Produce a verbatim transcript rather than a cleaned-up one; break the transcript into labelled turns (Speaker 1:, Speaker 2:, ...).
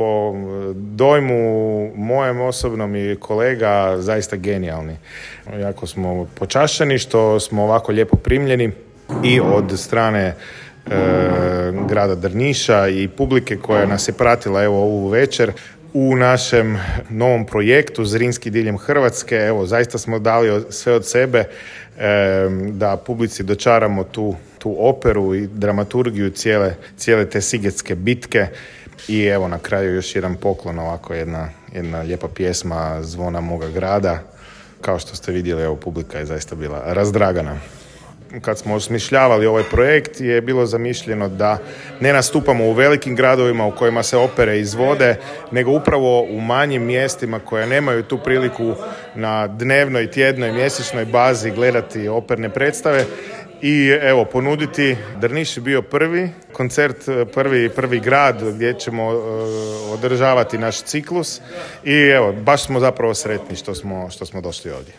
Speaker 1: po dojmu mojem osobnom i kolega zaista genijalni. Jako smo počašćeni što smo ovako lijepo primljeni i od strane e, grada Drniša i publike koja nas je pratila evo ovu večer u našem novom projektu Zrinski diljem Hrvatske. Evo, zaista smo dali sve od sebe e, da publici dočaramo tu, tu operu i dramaturgiju cijele, cijele te sigetske bitke. I evo na kraju još jedan poklon, ovako jedna, jedna lijepa pjesma Zvona moga grada. Kao što ste vidjeli, evo, publika je zaista bila razdragana. Kad smo osmišljavali ovaj projekt je bilo zamišljeno da ne nastupamo u velikim gradovima u kojima se opere izvode, nego upravo u manjim mjestima koje nemaju tu priliku na dnevnoj, tjednoj, mjesečnoj bazi gledati operne predstave. I evo, ponuditi, Drniš je bio prvi koncert, prvi, prvi grad gdje ćemo uh, održavati naš ciklus i evo, baš smo zapravo sretni što smo, što smo došli ovdje.